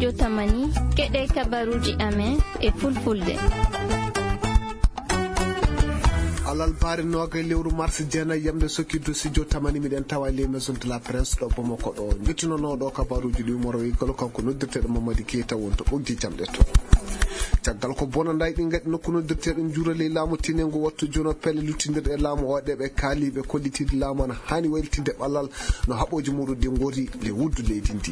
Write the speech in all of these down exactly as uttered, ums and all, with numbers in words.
Jotamani, keɗe kabaruuji amen e fulfulde. Alarba noogay lewru mars, jeenay yamde sokki dosi Jotamani, miɗen tawa les maisons de la presse ɗo Bamako ɗo. Njettunanooɗo kabaruuji ɗi Umaro Wiggalo, kanko noddirteeɗo Mamadi Keita wonto ɓoggi jamɗe to. Caggal ko bonanday ɗi ngaɗi nokku noddirteeɗo njuura ley laamu tinengu wattu jono pelle luttindirɗe e laamu o ɗe ɓe kaaliiɓe kollitiiɗi laamu ana haani waylitinde ɓalal no haɓooji muɗum ɗi ngori le wuddu leydi ndi.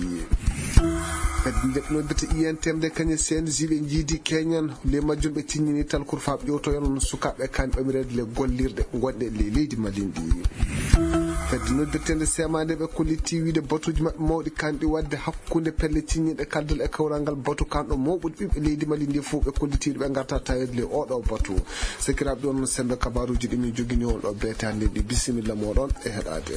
Fedde nde noddirte I N T M nde kañe C N J ɓe njiidi keñan le majjum ɓe ciññini talkur faa ƴewtoyano no sukaaɓe kaani ɓamireede le gollirɗe gonɗe le leydi Mali ndi. Fedde noddirteende semaande ɓe kollitii wiide batuuji maɓɓe mawɗi kaani ɗi waɗde hakkunde pelle ciññinɗe kaldal e kawral ngal batu kanɗo mawɓude ɓiɓɓe leydi Mali ndi fof ɓe kollitiiɗo ɓe ngarta taweede le oɗo batu. Sakiraaɓe ɗon sembe kabaruuji ɗi min jogini on ɗo beetaande ɗi bisimilla moɗon e heɗaade.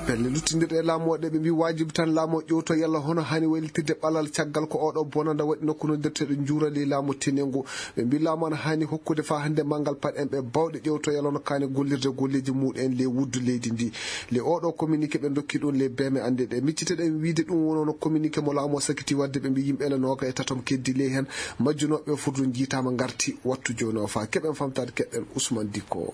Pelle luttindirɗe e laamu o ɗe ɓe mbi waajibi tan laamu o ƴewto yalla hono haani waylitirde ɓalal caggal ko oɗo bonanda waɗi nokku noddirteeɗo njuurali laamu tenengu. Ɓe mbi laamu ana haani hokkude faa hannde manngal paɗ en ɓe bawɗe ƴewto yalla no kaani gollirde golleeji muɗum en le wuddu leydi ndi. Le oɗo communiqué ɓe dokki ɗum le beme annde ɗe miccite ɗen wiide ɗum wono no communiqué mo laamu o sakiti waɗde ɓe mbi yimɓe le nooga e tatom keddi ley heen majjunooɓe furdu njiitaama ngarti wattu jooni o faa keɓen famtaade keɗɗen Ousmane Dikko.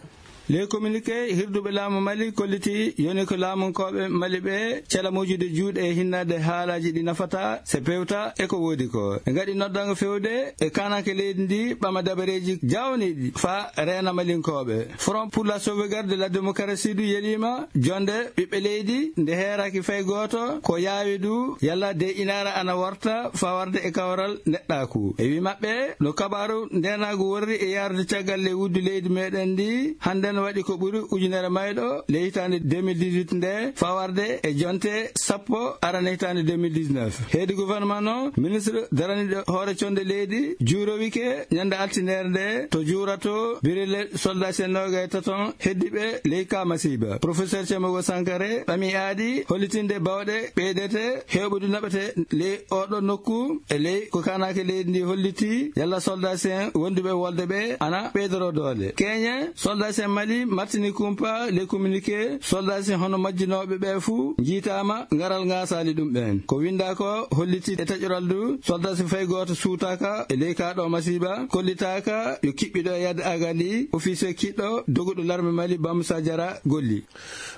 Ley communiqué, hirduɓe laamu Mali kolliti yoni ko laamunkooɓe Mali ɓe cela moƴƴude juuɗe e hinnaade haalaaji ɗi nafata, se pewta e ko woodi ko. Ɓe ngaɗi noddango fewde e kaananke leydi ndi ɓama dabareeji jaawniiɗi faa reena Malinkooɓe. Front pour la sauvegarde de la démocratie du yeliima jonde ɓiɓɓe leydi nde heeraaki fay gooto, ko yaawi du yalla de inaara ana warta faa warde e kawral neɗɗaaku. E wi maɓɓe, no kabaaru ndeenaagu worri e yaarude caggal le wuddu leydi meɗen ndi, hannden waɗi ko ɓuri ujunere mayɗo le hitaande deux mille dix-huit nde, faa warde e jonte sappo arana hitaande deux mille dix-neuf. Heedi gouvernement no, ministre daraniiɗo hoore conde leydi juurowike ñande altine nde to juurato birele soldat sen nooga e taton heddiɓe ley ka masiiba. Professeur Thiamogo Sankare ɓami aadi hollitinde bawɗe ɓeydete heɓude naɓete ley oɗo nokku e ley ko kaananke leydi ndi holliti yalla soldat sen wonduɓe wolde ɓe ana ɓeydoro doole. Keñe, soldat sen Mali martini kumpa ley communiqué, soldat sen hono majjinooɓe ɓe fuu njiitaama ngaral ngasaali ɗum ɓen. Ko winndaa ko holliti e taƴoral du, soldat sen fay gooto suutaaka e ley ka ɗo masiiba, kollitaaka yo kiɓɓiɗo e yadde agali, officier kiɗɗo doguɗo larme Mali Bamsa Jara golli.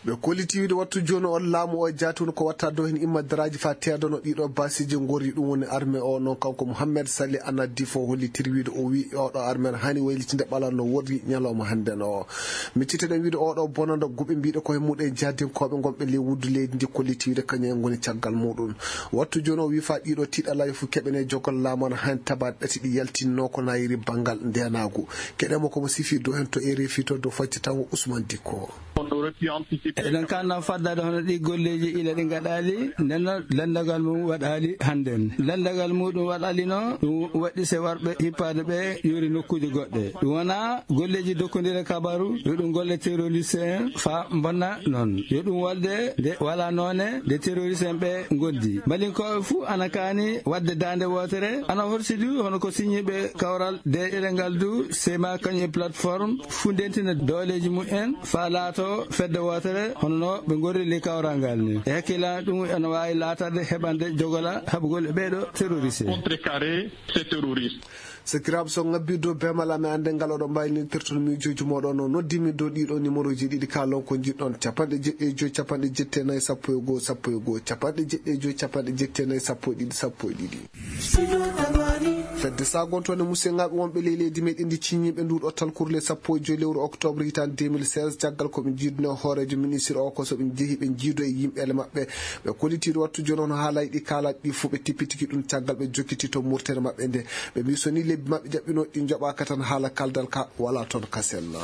Ɓe kolliti wiide wattu jooni on laamu o e jaati woni ko watta dow heen immadaraaji faa teedono ɗiɗo baasiiji ngorri ɗum woni armée o noon kanko Mouhamed Sali Anaddi fof hollitir wiide o wii oɗo armée haani waylitinde ɓalal no worri ñalawma hannden o. Micciteɗen wiide oɗo bonanda guɓe mbiɗo ko he muɗum e jaadinkooɓe ngonɓe ley wuddu leydi ndi kolliti wiide kañum en ngoni caggal muɗum. Wattu jooni o wii faa ɗiɗo tiiɗalaaji fof keɓene jogol laamu ana haani tabaade ɗati ɗi yaltinnoo ko nayiri banngal ndeenaagu. Keɗemo komo sifi dow heen to R F I to dow faccatango Ousmane Dikko. Eɗen kaanna faddaade hono ɗi golleeji ila ɗi ngaɗaali, nden noon lanndagal mum waɗaali hannden. Lanndagal muɗum waɗaali no ɗum waɗi se warɓe hippaade ɓe yori nokkuuje goɗɗe. Ɗum wonaa golleeji dokkondire kabaru, yo ɗum golle terroriste en faa mbonna noon. Yo ɗum walde nde walaa noone nde terroriste en ɓe ngondi. Malinkooɓe fuu ana kaani waɗde daande wootere, ana horsidi hono ko siñiiɓe kawral deeƴere ngal du, sema kañum e plateforme fuu ndentina dooleeji mum en faa laato fedde wootere, hono no ɓe ngorri ley kawral ngal ni. E hakkillan ɗum ene waawi laatade heɓande jogola haɓugol e ɓeeɗo terroriste. Contrecarrer ces terroristes. Sakiraaɓe, so ngabbii dow beemal amen, annden ngal oɗon mbaawi noddirde toon miijooji mooɗon, no noddiimi dow ɗiɗo numéroji ɗiɗi, kaalon ko njiɗɗon, capanɗe jeɗɗi e joy, capanɗe jeɗɗi e nayi, sappo e goo, sappo e goo, capanɗe jeɗɗi e joy, capanɗe jeɗɗi e nayi, sappo e ɗiɗi, sappo e ɗiɗi. Fedde sagontoonde musidɓe wonɓe ley leydi meɗen ndi ciññiiɓe nduɗo talkurle sappo e joy lewru octobre hitaande deux mille seize, caggal ko ɓe njiidno hooreejo ministre o, ko so ɓe njehi ɓe njiido e yimɓeele maɓɓe, ɓe kollitiiɗo wattu jooni on haalaaji ɗi kaalaaji ɗi fof ɓe tippitiki ɗum caggal ɓe jokkiti to murtere maɓɓe nde. Ɓe mbi so ni lebbi maɓɓe jaɓɓinooɗi ɗi njoɓaaka tan haala kaldal ka wala toon ka sella.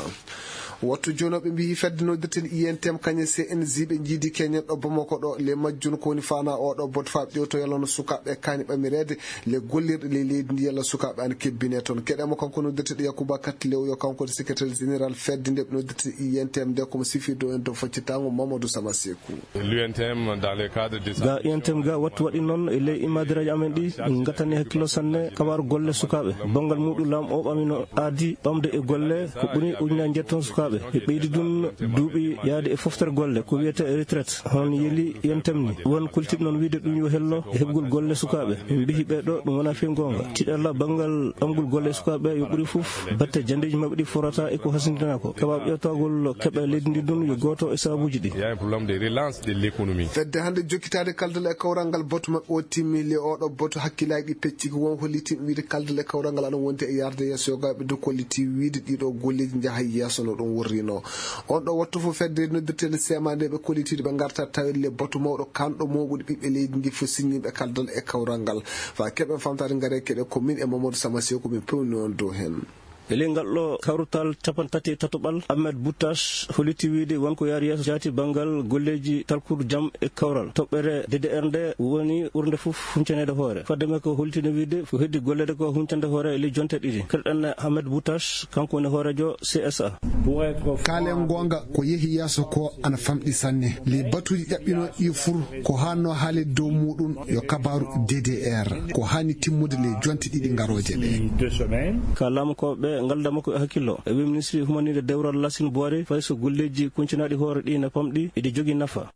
Wattu jooni o ɓe mbi fedde noddirten I N T M kañe C N J ɓe njiidi keñen ɗo Bamako ɗo le majjun ko woni faana o ɗo bot faa ƴewto yalla no sukaaɓe kaani ɓamireede le gollirɗe ley leydi ndi yalla sukaaɓe ana kebbine toon. Keɗemo kanko noddirteɗo Yakuba Katlew yo kanko woni secrétaire général fedde nde ɓe noddirte I N T M nde komo sifi dow en dow faccitango Mamadou Sama Seku. L'U N T M dans le cadre de sa ga U N T M ga wattu waɗi noon e ley imadiraaji amen ɗi, ɗum gattani hakkillo sanne kabaaru golle sukaaɓe. Banngal muɗum laamu o ɓamino aadi ɓamde e golle ko ɓuri ujunaaji njetton sukaaɓe. Ɓe ɓeydi ɗum duuɓi yahde e foftere golle, ko wiyetee retraite. Hono yeli yen tamni. Won kolitiiɓe noon wiyde ɗum yo hello e heɓgol golle sukaaɓe. Min mbiyi ɓee ɗoo, ɗum wonaa fii goonga. Tiiɗalla banngal ɓamgol golle e sukaaɓe yo ɓuri fof batte janndeeji maɓɓe ɗi forata e ko hasindinaa ko. Sababu ƴeewtagol keɓe leydi ndi ɗum yo gooto e sababuuji ɗi. Il y a un problème de relance de l'économie. Fedde hannde jokkitaade kaldal e kawral ngal batu maɓɓe o timmi. Le oɗo batu hakkillaaji ɗi pecci ko won hollitii wiyde kaldal e kawral ngal ana wondi e yarde yeeso yo gaaɓe dow kolliti wiyde ɗiɗo golleeji njaha yeeso no ɗum wurrino. On ɗo wattu fof fedde noddirteende seemaneeɓe kollitiiɗo ɓe ngarta tawde le batu mawɗo kanɗo mooɓude ɓiɓɓe leydi ndi fof siññiiɓe kaldal e kawral ngal. Fa keɓen famtaade ngare keɗe ko min e Mamadou Sama Sew ko min pewni on dow heen. E ley ngal ɗo kawrutal capanɗe tati e tataɓal, Ahmed Boutache holliti wiyde won ko yaari yeeso jaati banngal golleeji talkudu jam e kawral. Toɓɓere D D R nde woni ɓurnde fof huncaneede hoore. Fadde makko holliti no wiyde ko heddi golleede ko huncande hoore e ley jonte ɗiɗi. Keɗoɗen Ahmed Boutache, kanko woni hooreejo C S A. Kaalen goonga, ko yehi yeeso ko ana famɗi sanne. Ley batuuji ƴaɓɓinooɗi ɗi fur, ko haannoo haaleede dow muuɗum yo kabaaru D D R. Ko haani timmude ley jonte ɗiɗi ngarooje ɗe. Ka laamukooɓe ngalda makko e hakkillo. E wi ministre humaniiɗo dewral Lassine Boiré, fay so golleeji kuncinaaɗi hoore ɗi na famɗi, iɗi jogii nafa.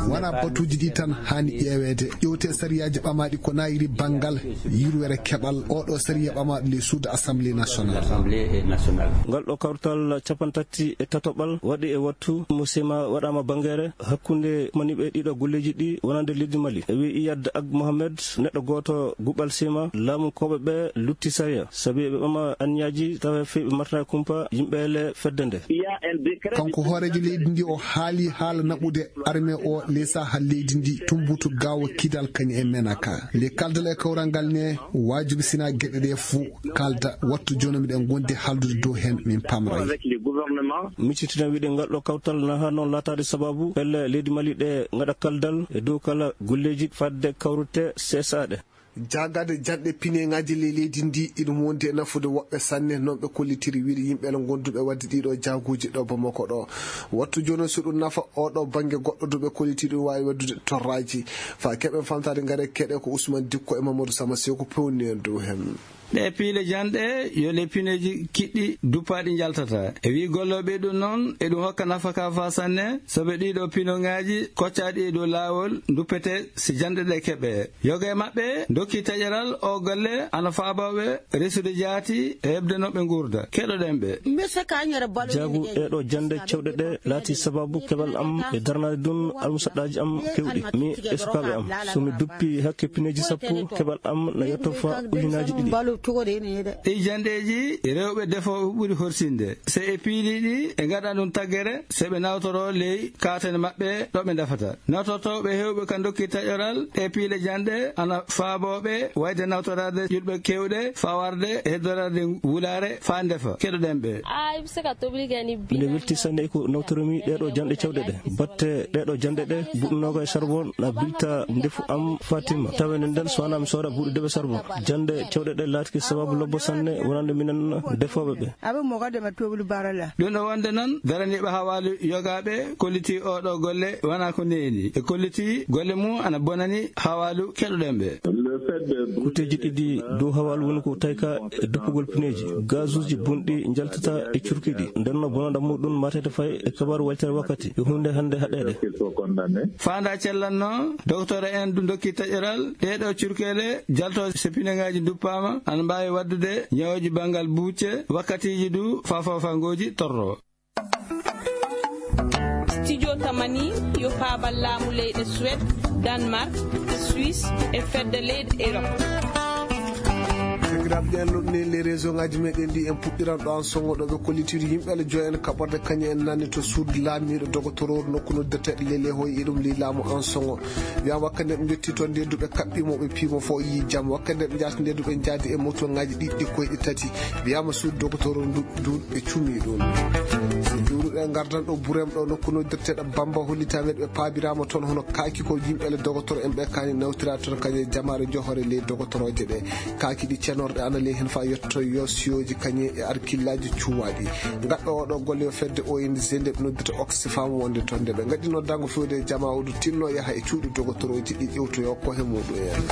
Wonaa batuuji ɗi tan haani ƴeeweede. Ƴeewte sariyaaji ɓamaaɗi ko nayiri banngal yurwere keɓal. Oɗo sariya ɓamaaɗo ley suudu Assemblée nationale. Ngal ɗo kawtal capanɗe tati e tataɓal waɗi e wattu mo sema waɗaama bangeere hakkunde maniɓe ɗiɗo golleeji ɗi wonande leydi Mali. E wi Iyad Ag Mohamed, neɗɗo gooto guɓal sema, laamukooɓe ɓe lutti sariya. Sabi eɓe ɓama anniyaji tawa fii ɓe martana kumpa yimɓe ele fedde nde. Kanko hooreejo leydi ndi o haali haala naɓude armée o ley saaha leydi ndi tumbutu gaawo kidal kañum e menaka. Le kaldal e kawral ngal ne waajibi sina geɗe ɗe fuu kalda wattu jooni miɗen gondi haaldude dow heen min pamray. Miccitina wiɗe ngal ɗo kawtal na haa noon laataade sababu pelle leydi Mali ɗe ngaɗa kaldal e dow kala golleeji fadde kawrute C S A ɗe. Jaagade janɗe pineŋaaji ley leydi ndi, iɗum wondi e nafude woɓɓe sanne, noon ɓe kollitiri wiyde yimɓe ene ngonduɓe waɗde ɗiɗo jaaguuji ɗo Bamako ɗo. Wattu jooni so ɗum nafa oɗo bannge goɗɗo duɓe kollitiri ɗum waawi waɗdude torraaji. Fa keɓen famtaade ngare keɗe ko Ousmane Dikko e Mamadou Sama Sew ko pewni en dow heen. Ɗe piile janɗe yo le pineeji kiɗɗi duppaaɗi njaltata. E wi gollooɓe ɗum noon, eɗum hokka nafaka fa sanne, soɓe ɗiɗo pinoŋaaji koccaaɗi e dow laawol duppete si janɗe ɗe keɓe. Yoga e maɓɓe dokki taƴeral o golle ana faabooɓe resude jaati e heɓde no ɓe nguurda. Keɗoɗen ɓe. Jaagu ɗeɗo jannde cewɗe ɗe laati sababu keɓal am e darnaade ɗum almusaɗɗaaji am kewɗi. Mi e sukaaɓe am. So mi duppi hakke pineeji sappo, keɓal am na yetto fa ujunaaji ɗiɗi. Ɗi janɗeeji rewɓe defooɓe ɓuri horsinde. So e piili ɗi e ngaɗa ɗum taggere, so ɓe nawtoro ley kaatane maɓɓe ɗo ɓe ndefata. Nawtortooɓe heewɓe ka dokki taƴoral ɗe piile janɗe ana faabooɓe wayde nawtoraade julɓe kewɗe faa warde e heddoraade wulaare faa ndefa. Keɗoɗen ɓe. Miɗo welti sanne e ko nawtorumi ɗeɗo janɗe cewɗe ɗe. Batte ɗeɗo janɗe ɗe buɗɗunooga e charbon na bilta ndefu am Fatima. Tawa nden nden so wanaa mi sooda buuɗi deɓe charbon. Janɗe cewɗe ɗe laatiki sababu lobbo sanne wonande minen defooɓe ɓe. Ɗum ɗo wonde noon, daraniiɓe hawaalu yogaaɓe kollitii oɗo golle wonaa ko neeni. E kollitii golle mum ana bonani hawaalu keɗoɗen ɓe. Kuteeji ɗiɗi dow hawaalu woni ko tayka e duppugol pineeji. Gazuuji bonɗi njaltata e curki ɗi. Nden no bonanda muɗum matete fay e kabaaru waytere wakkati. E huunde hannde haɗeede. Faanda cellanno, doktore en du dokki taƴoral, ɗeɗo curkeele jalto so pineŋaaji duppaama, ana mbaawi waɗdude ñawooji banngal buucce, wakkatiiji du fafofangooji torro. Studio Tamani yo paabal laamu leyɗe Suède, Danemark, Suisse e fedde leyɗe Europe. Sakiraaɓe, ɗen lotni les réseau ngaji meɗen ɗi en puɗɗiran ɗo an songo ɗo ɓe kollitiri yimɓe ala joyen kaɓorde kañe en nanni to suudu laamiiɗo dogotororu nokku noddirteɗo lele hoy e ɗum li laamu an songo. Wiya wakkati nde ɓe njotti toon nde duɓe kaɓɓimo ɓe piimo fof yi jam. Wakkati nde ɓe njaati nde duɓe njaadi e moto ngaji ɗiɗɗi koyɗe tati. Wiyama suudu dogotoro ndu, ndu ɓe cumi ɗum. So juuruɗe ngardan ɗo Burem ɗo nokku noddirteɗo Bamba hollitama ɓe paabirama toon hono kaaki ko yimɓe le dogotoro en ɓe kani nawtira toon kañe jamaare johore ley dogotoroje ɗe. Kaaki ɗi ceno Worɓe ana ley heen faa yetto yo siyooji kañe e arkillaaji cuwaaɗi. Gaɗɗo oɗo golle yo fedde O N G nde ɓe noddita Oxfam wonde toon nde ɓe ngaɗi noddaango fewde e jama oɗo tinno yaha e cuuɗi dogotorooji ɗi ƴewtoyo ko he muɗum en.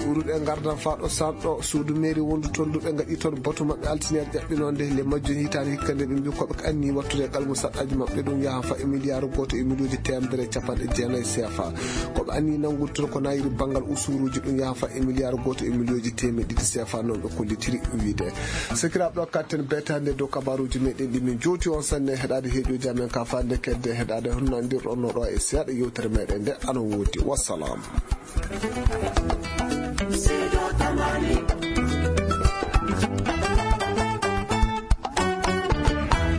Uruɗe ngardan faa ɗo sanɗo suudu mairie wondu toon ndu ɓe ngaɗi toon batu maɓɓe altiniere ƴaɓɓinonde le majjum hitaande hikka nde ɓe mbi koɓe anni wattude e qalmu saɗɗaaji maɓɓe ɗum yaha faa e miliyaaru gooto e miliyooji teemedere e capanɗe jeenayi C F A. Koɓe anni nanngude toon ko nayiri banngal usuruuji ɗum yaha faa e miliyaaru gooto e miliyooji teemedde ɗiɗi C F A noon ɓe kollitiri wiide. Sakiraaɓe ɗo katten betaande dow kabaruuji meɗen ɗi min jowti on sanne heɗaade heeƴooji amen ka fande kedde heɗaade honno andirɗon no ɗo e seeɗa yewtere meɗen nde ana woodi. Wassalam.